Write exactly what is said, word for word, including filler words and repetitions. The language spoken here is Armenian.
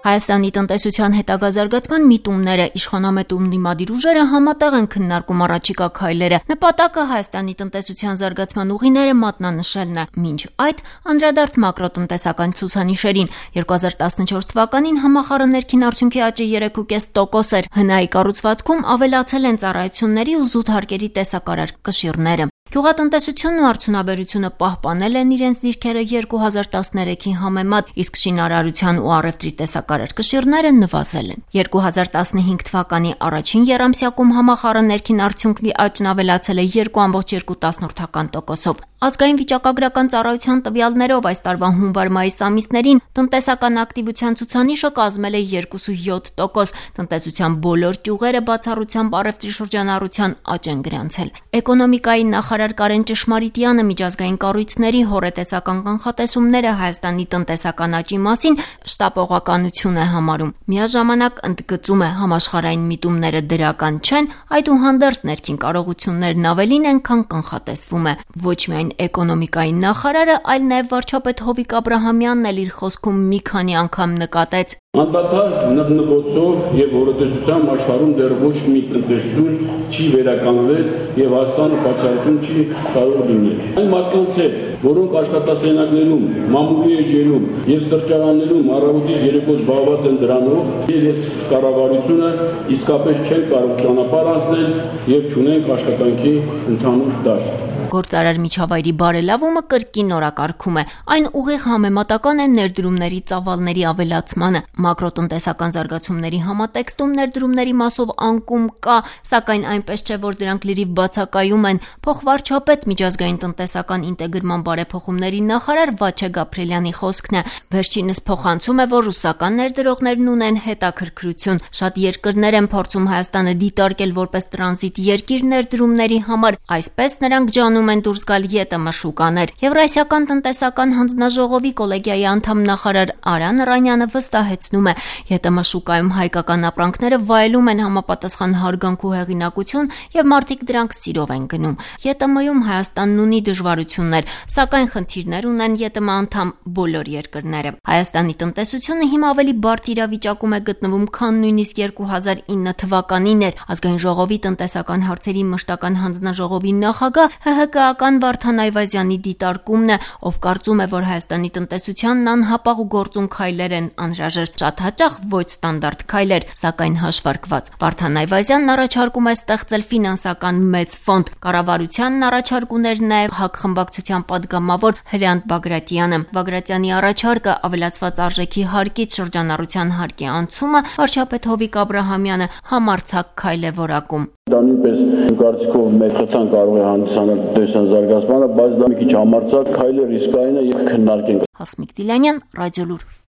Հայաստանի տնտեսության հետագա զարգացման միտումները, իշխանամետ ու ընդդիմադիր ուժերը համատեղ են քննարկում առաջիկա քայլերը։ Նպատակը Հայաստանի տնտեսության զարգացման ուղիները մատնանշելն է, մինչ այդ անդրադարձ մակրոտնտեսական ցուցանիշերին։ երկու հազար տասնչորս թվականին համախառն ներքին արդյունքի աճը երեք կես տոկոս էր։ Հնայի կառուցվածքում ավելացել են ծառայությունների ու զուտ հարկերի տեսակարար կշիռները։ Գյուղատնտեսությունն ու արդյունաբերությունը պահպանել են իրենց դիրքերը երկու հազար տասներեքի համեմատ, իսկ շինարարության ու առևտրի տեսակարար կշիռները նվազել են։ երկու հազար տասնհինգ թվականի առաջին եռամսյակում համախառն ներքին արդյունքի աճն ավելացել է երկու կoma երկու տոկոսով։ Ազգային վիճակագրական ծառայության տվյալներով այս տարվա հունվար-մայիս ամիսներին տնտեսական ակտիվության ցուցանիշը կազմել է երկու կoma յոթ տոկոս, տնտեսության բոլոր ճյուղերը բացառությամբ առևտրի շրջանառության աճ են գրանցել։ Էկոնոմիկայի նախարար Կարեն Ճշմարիտյանը միջազգային կառույցների հոռետեսական կանխատեսումները Հայաստանի տնտեսական աճի մասին շտապողականություն է համարում։ Միաժամանակ ընդգծում է, համաշխարհային միտումները դրական չեն, այդուհանդերձ ներքին կարողություններն ավելին են, քան կանխատեսվում է։ Ոչ միայն էկոնոմիկայի նախարարը, այլ նաև վարչապետ Հովիկ Աբրահամյանն էլ իր խոսքում մի քանի անգամ նկատեց. Անդադար նռնկոցով եւ հոռետեսությամբ աշխարհում դեռ ոչ մի տնտեսություն չի վերականգնել եւ Հայաստանը բացառություն չի կարող լինել։ Այն մարդկանց հետ, որոնք աշխատասենյակներում, մամուլի էջերում եւ սրճարաններում առավոտից երեկո զբաղված են դրանով, եւ կառավարությունը իսկապես չեն կարող ճանապարհ անցնել եւ չունենք աշխատանքի ընդհանուր դաշտ։ Գործարար միջավայրի բարելավումը կրկին օրակարգում է։ Այն ուղիղ համեմատական է ներդրումների ծավալների ավելացմանը։ Մակրոտնտեսական զարգացումների համատեքստում ներդրումների մասով անկում կա, սակայն այնպես չէ, որ դրանք լրիվ բացակայում են։ Փոխվարչապետ միջազգային տնտեսական ինտեգրման բարեփոխումների նախարար Վաչե Գաբրիելյանի խոսքն է։ Վերջինս փոխանցում է, որ ռուսական ներդրողներն ունեն հետաքրքրություն։ Շատ երկրներ են փորձում Հայաստանը դիտարկել որպես տրանզիտ երկիր ներդրումների համար, այսպես նրանք ջանում են դուրս գալ ԵՏՄ շուկաներ։ Եվրասիական տնտեսական հանձնաժողովի կոլեգիայի անդամ նախարար Արան Ռանյանը վստահեցնում է, ԵՏՄ շուկայում հայկական ապրանքները վայելում են համապատասխան հարգանք ու հեղինակություն եւ մարդիկ դրանք սիրով են գնում։ ԵՏՄ-ում Հայաստանն ունի դժվարություններ, սակայն խնդիրներ ունեն ԵՏՄ անդամ բոլոր երկրները։ Հայաստանի տնտեսությունը հիմա ավելի բարդ իրավիճակում է գտնվում, քան նույնիսկ երկու հազար ինը թվականին էր։ Ազգային ժողովի տնտեսական հարցերի մշտական հանձնաժողովի նախագահ ՀՀԿ-ական Վարդան Այվազյանի դիտարկումն է, ով կարծում է, որ Հայաստանի տնտեսությանն անհապաղ ու գործուն քայլեր են անհրաժեշտ, շատ հաճախ ոչ ստանդարտ քայլեր, սակայն հաշվարկված։ Վարդան Այվազյանն առաջարկում է ստեղծել ֆինանսական մեծ ֆոնդ։ Կառավարությանն առաջարկում էր նաև ՀԱԿ խմբակցության падգամավոր Հրանտ Բագրատյանը։ Բագրատյանի առաջարկը ավելացված արժեքի հարկից շրջանառության հարկի անցումը վարչապետ Հովիկ Աբրահամյանը համարձակ քայլ է որակում։ Դա նույնպես կարծիքով մեծ խթան կարող է հանդիսանալ տնտեսության զարգացմանը, բայց դա մի քիչ համարձակ քայլ է, ռիսկային է եւ քննարկենք։ Հասմիկ Դիլանյան, Ռադիոլուր։